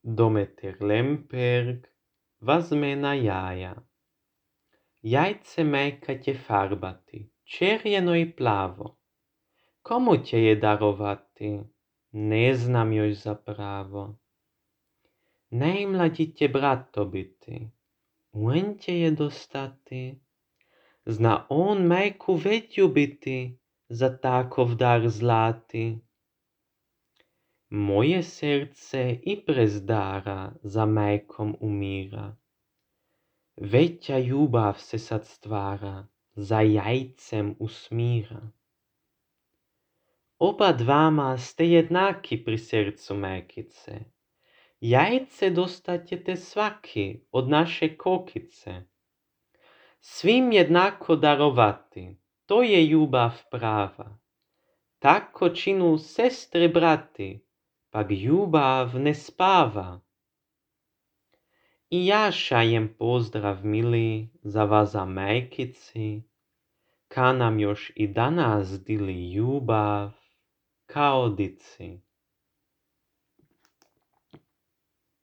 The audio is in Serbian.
Dometer Lemperg vazmena jaja. Jajce majkate farbati, čerjeno i plavo. Komu će je darovati? Ne znam još zapravo. Najmlađi će brato biti, on će je dostati. Zna on majku već ljubiti, za takov dar zlati. Moje srce i prez dara za majkom umira. Veća ljubav se sad stvara, za jajcem usmira. Oba dvama ste jednaki pri srcu majkice. Jajce dostat ćete svaki od naše kokice. Svim jednako darovati, to je ljubav prava. Tako činu sestre brati, pak ljubav ne spava. I ja šajem pozdrav mili za vaza majkici, ka nam još i danas dili ljubav kao dici.